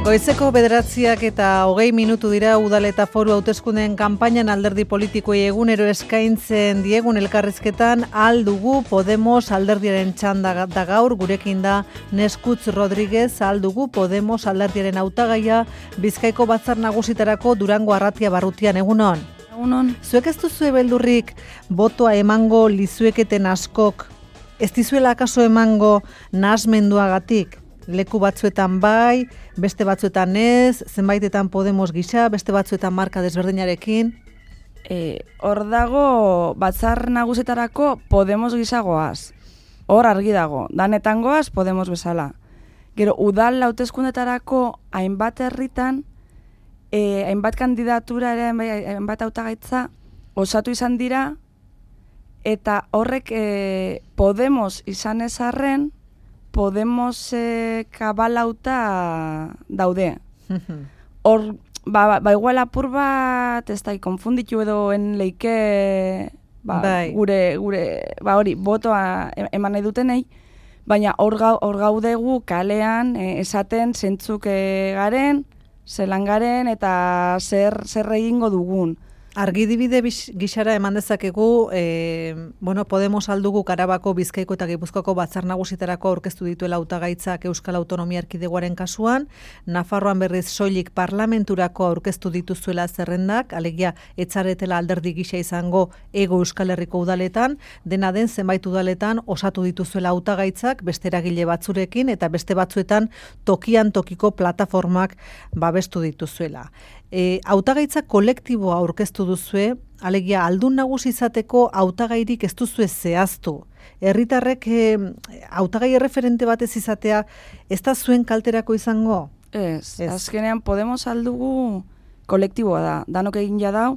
Goizeko 9:20 dira udal eta foru hauteskundeen kanpainan alderdi politikoei egunero eskaintzen diegun elkarrizketan aldugu Podemos alderdiaren txanda da gaur, gurekin da Neskutz Rodriguez, aldugu Podemos alderdiaren hautagaia Bizkaiko batzar nagusitarako Durango Arratia Barrutian. Egunon. Egunon. Zuek ez duzue beldurrik botoa emango lizueketen askok, ez dizuela akaso emango nahasmenduagatik? Leku batzuetan bai, beste batzuetan ez, zenbaitetan Podemos gisa, beste batzuetan marka desberdinarekin. Hor dago batzar nagusetarako Podemos gisa goaz. Hor argi dago, danetan goaz Podemos bezala. Gero, udal hauteskundetarako hainbat herritan, hainbat kandidatura ere, hainbat hautagaitza osatu izan dira, eta horrek Podemos izan ezarren, Podemos kabalauta daude. Hor, igual apur bat, ez da, konfunditu edo leike, gure, hori, botoa eman nahi dutenei, baina hor gaudegu kalean esaten zentzuk garen, zelan garen eta zer egingo dugun. Argidibide gixara eman dezakegu, Podemos aldugu Arabako, Bizkaiko eta Gipuzkoako batzar nagusitarako aurkeztu dituela hautagaitzak Euskal Autonomia Erkidegoaren kasuan, Nafarroan berriz soilik parlamenturako aurkeztu dituzuela zerrendak, alegia etzaretela alderdi gisa izango Hego Euskal Herriko udaletan, dena den zenbait udaletan osatu dituzuela hautagaitzak beste eragile batzurekin eta beste batzuetan tokian tokiko plataformak babestu dituzuela. Hautagaitza kolektiboa aurkeztu duzue, alegia aldun nagusi izateko hautagairik ez duzue zehaztu. Herritarrek hautagai erreferente batez izatea ez da zuen kalterako izango? Ez. Azkenean Podemos aldugu kolektiboa da, danok egin jadau,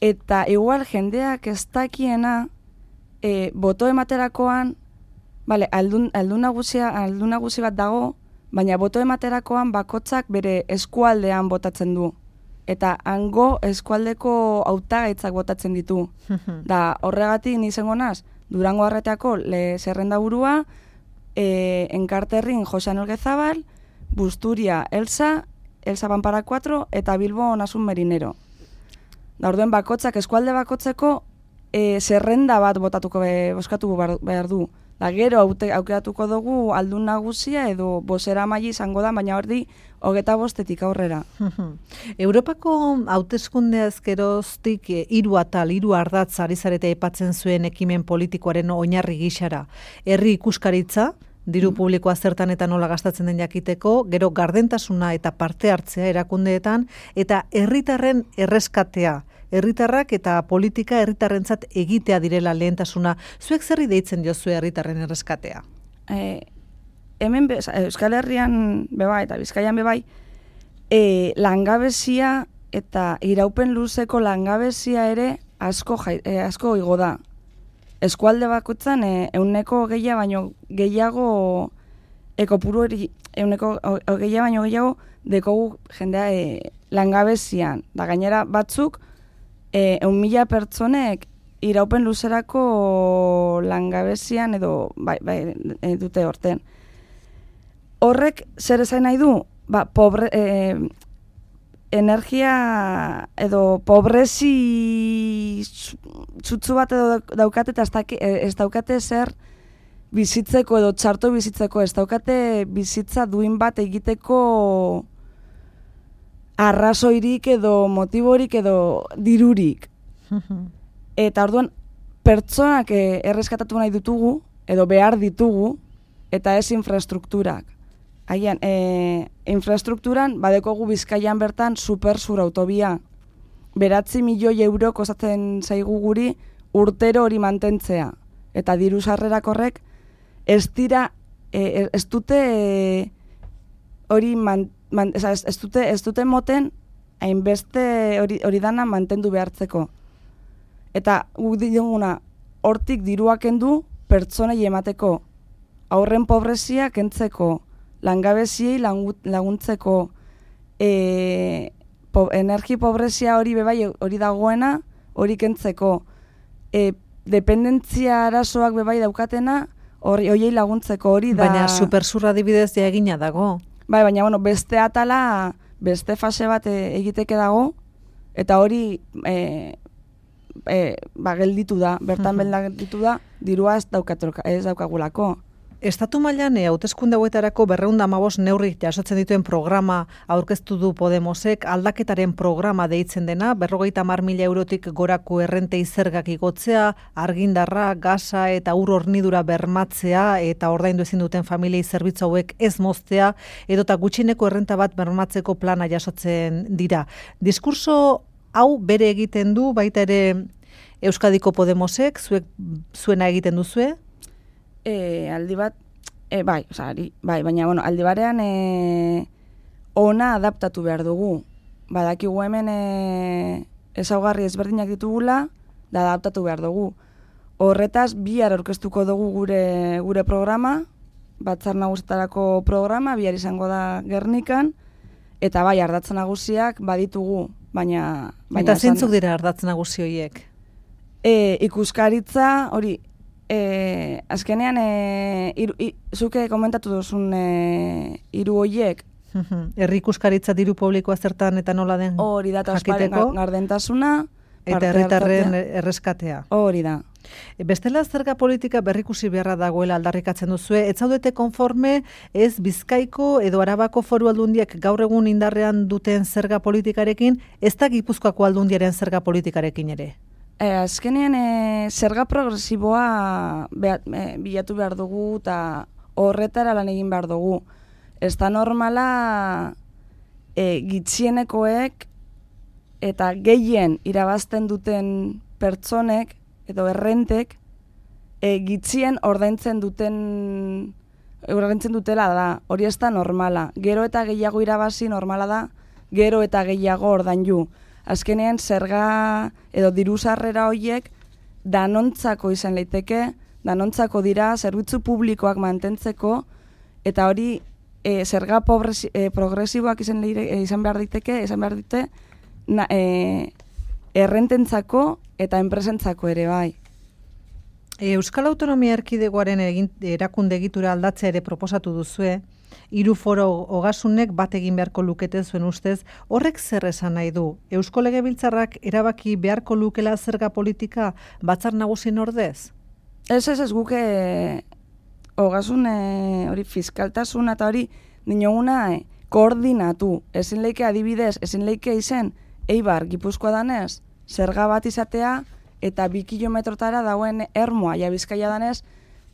eta igual jendeak ez dakiena boto ematerakoan, aldun nagusi bat dago, baina boto ematerakoan bakotzak bere eskualdean botatzen du. Eta hango eskualdeko hautagaitzak botatzen ditu. Da horregatik nizango naz, Durango Arratiako zerrenda burua, Enkarterrin Jose Anel Gezabal, Busturia Elsa Pampara 4 eta Bilbo Nasun Merinero. Da orduen bakotzak, eskualde bakotzeko zerrenda bat boskatu behar du. Da gero aukeratuko dugu aldun nagusia edo bozera maili izango da, baina ordi 25 aurrera. Europako hauteskundeaz geroztik 3 atal, 3 ardatz ari zarete aipatzen zuen ekimen politikoaren oinarri gisara. Herri ikuskaritza, diru publikoa zertan eta nola gastatzen den jakiteko, gero gardentasuna eta parte hartzea erakundeetan, eta herritarren erreskatea. Herritarrak eta politika herritarrentzat egitea direla lehentasuna. Zuek zerri deitzen diozue herritarren erreskatea? Hemen Euskal Herrian bebai eta Bizkaian bebai, langabezia eta iraupen luzeko langabezia ere asko igo da. Eskualde bakoitzan 100 baino gehiago ekopuru hori 100 baino gehiago dekogu jendea langabezian. Da gainera batzuk 1.000 pertsonek iraupen luzerako langabezian edo dute horten. Horrek zer esan nahi du? Energia edo pobrezi txutzu bat edo daukate eta ez daukate zer bizitzeko edo txarto bizitzeko, ez daukate bizitza duin bat egiteko arrazoirik edo motiborik edo dirurik. Eta orduan, pertsonak erreskatatu nahi ditugu, edo behar ditugu, eta ez infrastrukturak. Haian, infrastrukturan, badekogu Bizkaian bertan supersur autobia. 9 milioi euro kostatzen zaigu guri urtero hori mantentzea. Eta diru sarrerak horrek, ez dute hori ez dute moten hainbeste hori dana mantendu behartzeko. Eta guk diguna hortik diruak kendu pertsonei emateko, aurren pobrezia kentzeko, langabeziei laguntzeko, energi pobrezia hori bebai hori dagoena hori kentzeko, dependentzia arazoak bebai daukatena horiei laguntzeko hori da. Baina supersurra adibidez ja egina dago. Bai, baina, bueno, beste atala, beste fase bat egiteke dago, eta hori gelditu da, bertan gelditu da, dirua ez daukagulako. Estatu mailan hauteskunde hauetarako 215 neurri jasotzen dituen programa aurkeztu du Podemosek, aldaketaren programa deitzen dena, 50.000 eurotik gorako errentei zergak igotzea, argindarra, gasa eta ur hornidura bermatzea eta ordaindu ezin duten familiei zerbitzu hauek ez moztea, edota gutxineko errenta bat bermatzeko plana jasotzen dira. Diskurso hau bere egiten du baita ere Euskadiko Podemosek, zuena egiten duzue? Aldi bat, bai, baina, bueno, aldi barean ona adaptatu behar dugu. Badakigu hemen ezaugarri ezberdinak ditugula, da adaptatu behar dugu. Horretaz, bihar aurkeztuko dugu gure programa, Batzar Nagusietarako programa, bihar izango da Gernikan, eta bai, ardatz nagusiak baditugu, baina... Eta zeintzuk dira ardatz nagusi horiek? Ikuskaritza, hori, azkenean, zuke komentatu duzun hiru horiek. Herri ikuskaritza diru publikoa zertan eta nola den jakiteko. Hori da, gardentasuna. Eta herritarren erreskatea. Hori da. Bestela zerga politika berrikusi beharra dagoela aldarrikatzen duzue, ez zaudete konforme ez Bizkaiko edo Arabako Foru Aldundiak gaur egun indarrean duten zerga politikarekin, ez da Gipuzkoako Aldundiaren zerga politikarekin ere? Azkenean zerga progresiboa bilatu behar dugu eta horretara lan egin behar dugu. Ez da normala gitxienekoek eta gehien irabazten duten pertsonek edo errentek gitxien ordaintzen dutela da. Hori ez da normala. Gero eta gehiago irabazi normala da, gero eta gehiago ordaindu. Azkenean zerga edo diru sarrera horiek danontzako izan leiteke, danontzako dira zerbitzu publikoak mantentzeko, eta hori zerga progresiboak izan behar diteke, errententzako eta enpresentzako ere bai. Euskal Autonomia Erkidegoaren erakunde egitura aldatzea ere proposatu duzue, 3 foro ogasunek bat egin beharko lukete zuen ustez, horrek zer esan nahi du? Eusko Legebiltzarrak erabaki beharko lukela zerga politika Batzar Nagusien ordez? Ez guke ogasun hori fiskaltasuna eta hori dinoguna koordinatu. Ezin leike adibidez, ezin leike izen Eibar Gipuzkoa danez, zerga bat izatea eta 2 kilometrotara dauen ermoa, ja Bizkaia danez,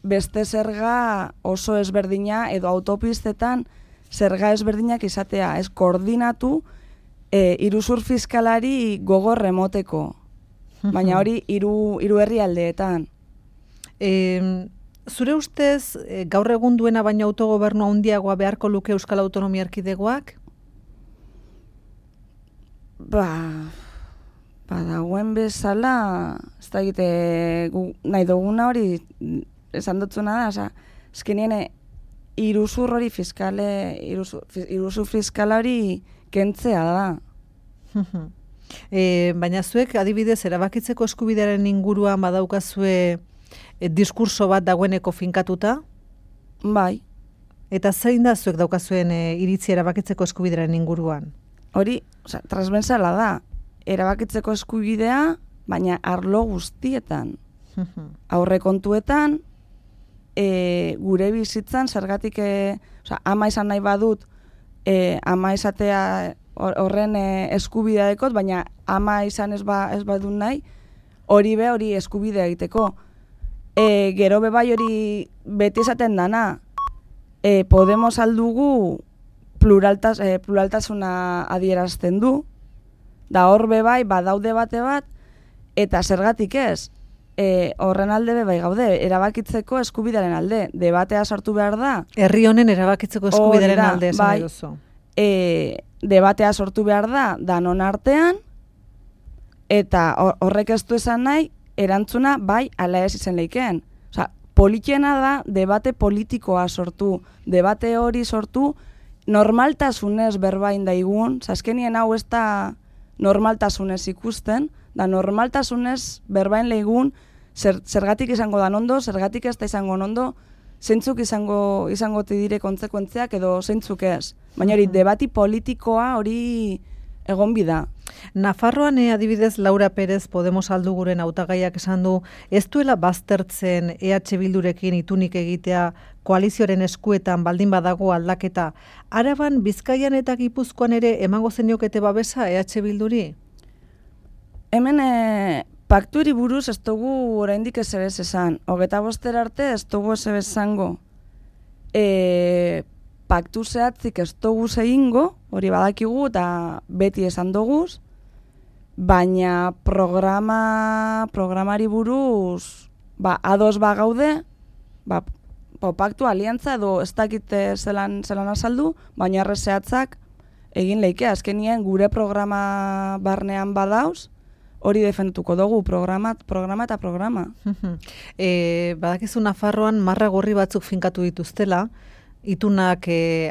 beste zerga oso ezberdina edo autopistetan zerga ezberdinak izatea. Ez koordinatu iruzur fiskalari gogor remoteko. Baina hori hiru herrialdeetan. Zure ustez, gaur egun duena baino autogobernu handiagoa beharko luke Euskal Autonomia Erkidegoak? Dagoen bezala, ez da egite nahi duguna hori esan dutzuna da, azkenien iruzur hori iruzur fiskala hori kentzea da. Baina zuek adibidez erabakitzeko eskubidearen inguruan badaukazue diskurso bat dagoeneko finkatuta? Bai. Eta zein da zuek daukazuen iritzi erabakitzeko eskubidearen inguruan? Hori, transversala da, erabakitzeko eskubidea, baina arlo guztietan. Aurrekontuetan, gure bizitzan, zergatik, ama izan nahi badut, ama izatea horren eskubidea dekot, baina ama izan ez badut nahi, hori eskubidea egiteko. Gero bebai hori beti esaten dana, Podemos aldugu pluraltasuna adierazten du, da hor bebai badaude bate bat, eta zergatik ez, horren alde bebai gaude, erabakitzeko eskubidearen alde, debatea sartu behar da. Herri honen erabakitzeko eskubidearen alde esan nahi duzu. Debatea sortu behar da, danon artean, eta horrek ez du esan nahi, erantzuna bai ala ez izan leikeen. Politiena da, debate politikoa sortu, debate hori sortu, normaltasunez berbain daigun, azkenien hau ez da normaltasunez ikusten, da normaltasunez berbain leigun, zergatik izango da nondo, zergatik ez da izango nondo, zeintzuk izango dire kontzekuentziak edo zeintzuk ez. Baina hori, debati politikoa hori egon bida. Nafarroan adibidez Laura Perez Podemos alduguren hautagaiak esan du ez duela baztertzen EH Bildurekin itunik egitea koalizioaren eskuetan baldin badago aldaketa. Araban, Bizkaian eta Gipuzkoan ere emango zeniokete babesa EH Bilduri? Hemen pakturi buruz ez dugu oraindik ez ebez esan. 25 arte ez dugu ez ebez zango. Paktu zehatzik ez dugu egingo, hori badakigu eta beti esan duguz, baina programari buruz ados gaude, paktu aliantza edo ez dakite zelan azaldu, baina arre zehatzak egin leike, azkenien gure programa barnean badauz, hori defentuko dugu, programa eta programa. Badakizu Nafarroan marra gorri batzuk finkatu dituztela, itunak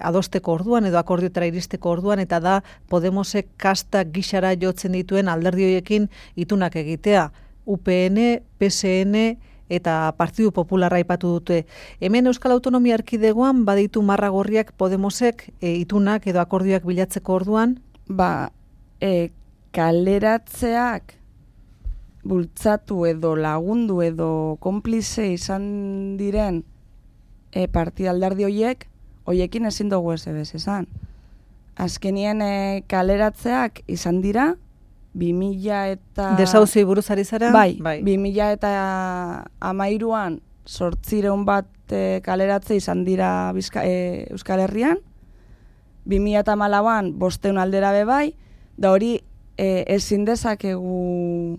adosteko orduan edo akordiotara iristeko orduan, eta da Podemosek kastak gixara jotzen dituen alderdi horiekin itunak egitea. UPN, PSN eta Partidu Popularra aipatu dute. Hemen Euskal Autonomia Erkidegoan baditu marra gorriak Podemosek itunak edo akordioak bilatzeko orduan? Kaleratzeak bultzatu edo lagundu edo konplize izan diren partida alderdi hoiekin ezin dugu ez ebez esan. Azkenien kaleratzeak izan dira, 2000 eta... Desauzioi buruz ari zara? Bai. 2000 eta 13an 800 bat kaleratze izan dira Euskal Herrian, 2014an 500 aldera bai, da hori ezin dezakegu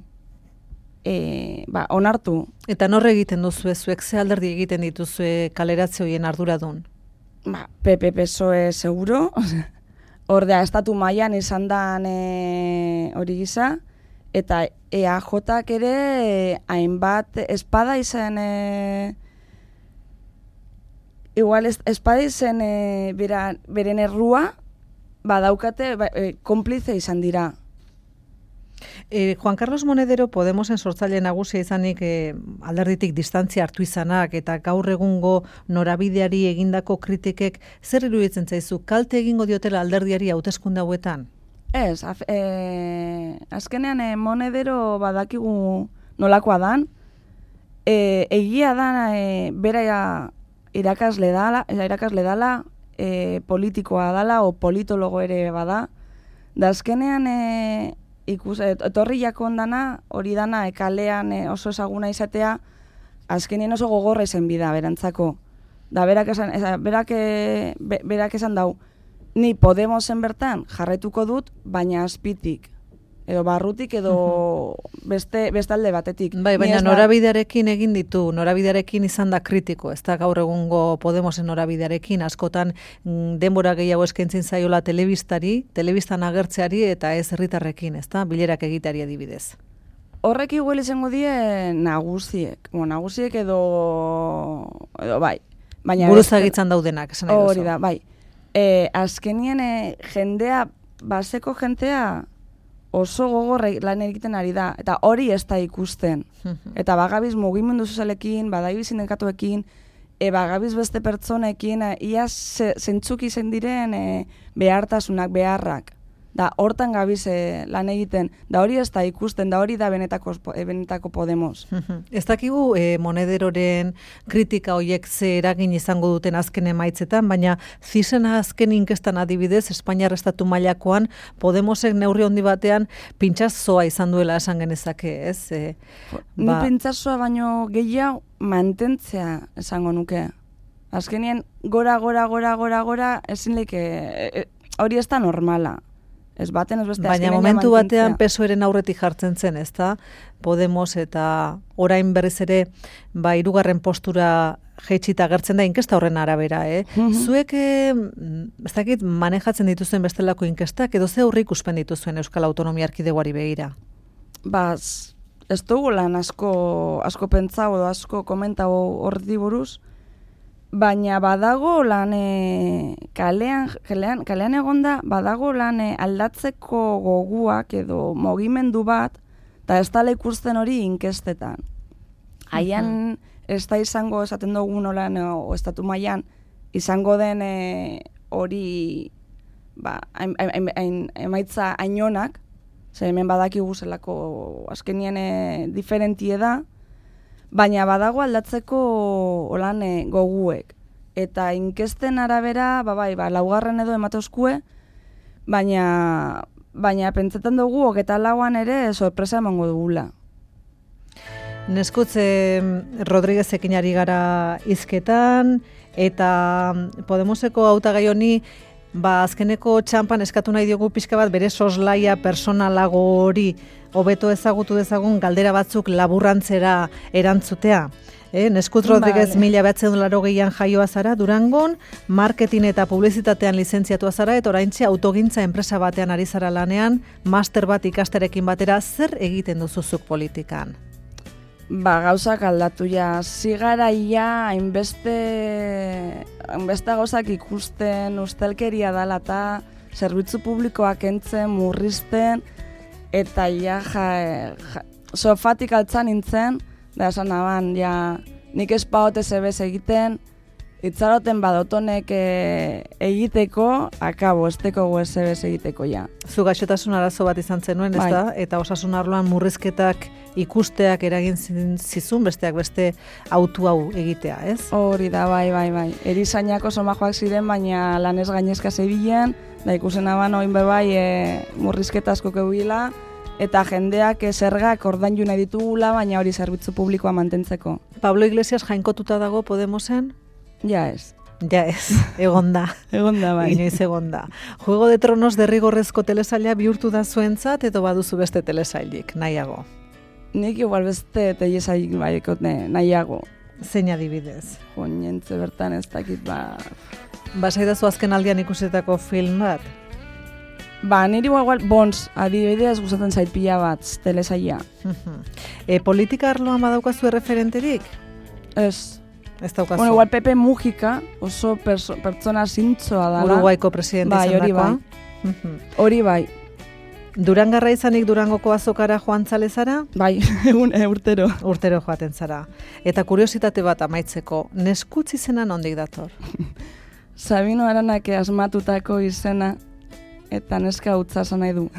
onartu. Eta norre egiten duzu zuek ze alderdi egiten dituzue kaleratze horien arduradun? PP PSOE seguro, ordea estatu mailan izan dan hori gisa, eta EAJak ere hainbat espada izan igual espada izan beren errua badaukate konplize izan dira. Juan Carlos Monedero Podemosen sortzaile nagusia izanik alderditik distantzia hartu izanak eta gaur egungo norabideari egindako kritikek zer iruditzen zaizu, kalte egingo diotela alderdiari hauteskunde hauetan? Ez, azkenean Monedero badakigu nolakoa dan, egia da bera irakasle dala, politikoa dala o politologo ere bada, da azkenean etorri jakon dana, hori dana kalean oso ezaguna izatea, azkenien oso gogorra izan bida berantzako. Da berak esan dau, ni Podemosen bertan jarretuko dut, baina azpitik, edo barrutik, edo beste alde batetik. Bai, baina norabidearekin egin ditu, norabidearekin izan da kritiko, ez da gaur egungo Podemosen norabidearekin, askotan denbora gehiago eskaintzen zaiola telebistan agertzeari eta ez herritarrekin, ez da, bilerak egiteari adibidez. Horrek igual izango die nagusiek edo bai. Buruzagitzan daudenak, esan nahi duzu. Hori da, bai. Azkenien baseko jentea oso gogorra lan egiten ari da, eta hori ez da ikusten. Eta bagabiz mugimendu sozialekin, badaibiz sindikatuekin, bagabiz beste pertsonekin, ia zentzuk izen diren behartasunak, beharrak. Da hortan gabiz lan egiten, da hori ez da ikusten, da hori da benetako Podemos. Ez dakigu Monederoren kritika horiek ze eragin izango duten azken emaitzetan, baina CISen azken inkestan adibidez, Espainiar estatu mailakoan Podemosek neurri handi batean pintxazoa izan duela esan genezake, ez? Ni pintxazoa baino gehiago mantentzea esango nuke. Azkenien gora, ezin leke, hori ez da normala. Ez baten, ez beste. Baina momentu batean PSOEren aurretik jartzen zen, ez da? Podemos eta orain berriz ere hirugarren postura jaitsita agertzen da inkesta horren arabera, Zuek, ez dakit, manejatzen dituzuen bestelako inkestak, edo ze aurre ikuspen dituzuen Euskal Autonomia Erkidegoari begira? Ez dugu lan asko pentsau edo asko komentau horri buruz, baina badago lan kalean egonda, badago lan aldatzeko goguak edo mugimendu bat, eta ez dala ikusten hori inkestetan. Haian ez da izango esaten dugu nolan o estatu mailan izango den hori emaitza ainonak, ze hemen badakigu zelako azkenien diferentie da, baina badago aldatzeko holan goguek. Eta inkesten arabera, laugarren edo emateuzkue, baina pentsetan dugu, 24an ere sorpresa emango dugula. Neskutze Rodriguezekin ari gara hizketan, eta Podemoseko hautagai honi, azkeneko txampan eskatu nahi diogu pixka bat bere soslaia personalago hori hobeto ezagutu dezagun galdera batzuk laburrantzera erantzutea. Neskut Rodriguez 1980an jaioa zara Durangon, marketing eta publizitatean lizentziatua zara, eta oraintxe autogintza enpresa batean ari zara lanean, master bat ikasterekin batera, zer egiten duzuzuk politikan? Gauzak aldatu ja, zigaraia hainbeste gauzak ikusten, ustelkeria dela eta zerbitzu publikoak entzen, murrizten, eta sofatik altzan nintzen, da esan naban, nik espaote zebez egiten, itzaroten badotonek egiteko, akabo, esteko zebez egiteko, Zu gaixotasun arazo bat izan zenuen, ez da? Eta osasun arloan murrizketak ikusteak eragin zizun, besteak beste autu hau egitea, ez? Hori da, bai. Erizainako somajoak ziren, baina lanez gainezka zebilen, da ikusen aban oin murrizketa asko kebuila, eta jendeak zergak ordaindu nahi ditugula, baina hori zerbitzu publikoa mantentzeko. Pablo Iglesias jainkotuta dago Podemosen? Ja ez. Egonda. Egonda, bai. Inoiz egonda. Juego de Tronos derrigorrezko telesaila bihurtu da zuentzat, edo baduzu beste telesailik, nahiago? Nik igual beste telesailik nahiago. Zein adibidez? Joñentze bertan ez dakit, Basaidazu azken aldian ikusetako film bat? Niri igual Bons, adibidez gustatzen zait pila bat, telesaila. Politika arloan badaukazu referenterik? Ez. Ez daukazu. Bueno, igual Pepe Mujica, oso pertsona zintzoa dala. Uruguaiko presidente izandakoa. Hori bai. Durangarra izanik Durangoko azokara joan zalezara? Bai, urtero. Urtero joaten zara. Eta kuriositate bat amaitzeko, Neskutz izena nondik dator? Sabino Aranak asmatutako izena, eta neska utza esan nahi du.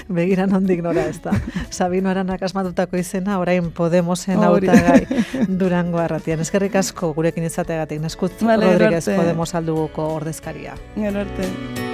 Begira nondik nora ez da. Sabino Aranak asmatutako izena, orain Podemosen hautagai Durango arratian. Eskerrik asko gurekin izateagatik, Neskutz Rodriguez Podemos alduguko ordezkaria. Gero arte.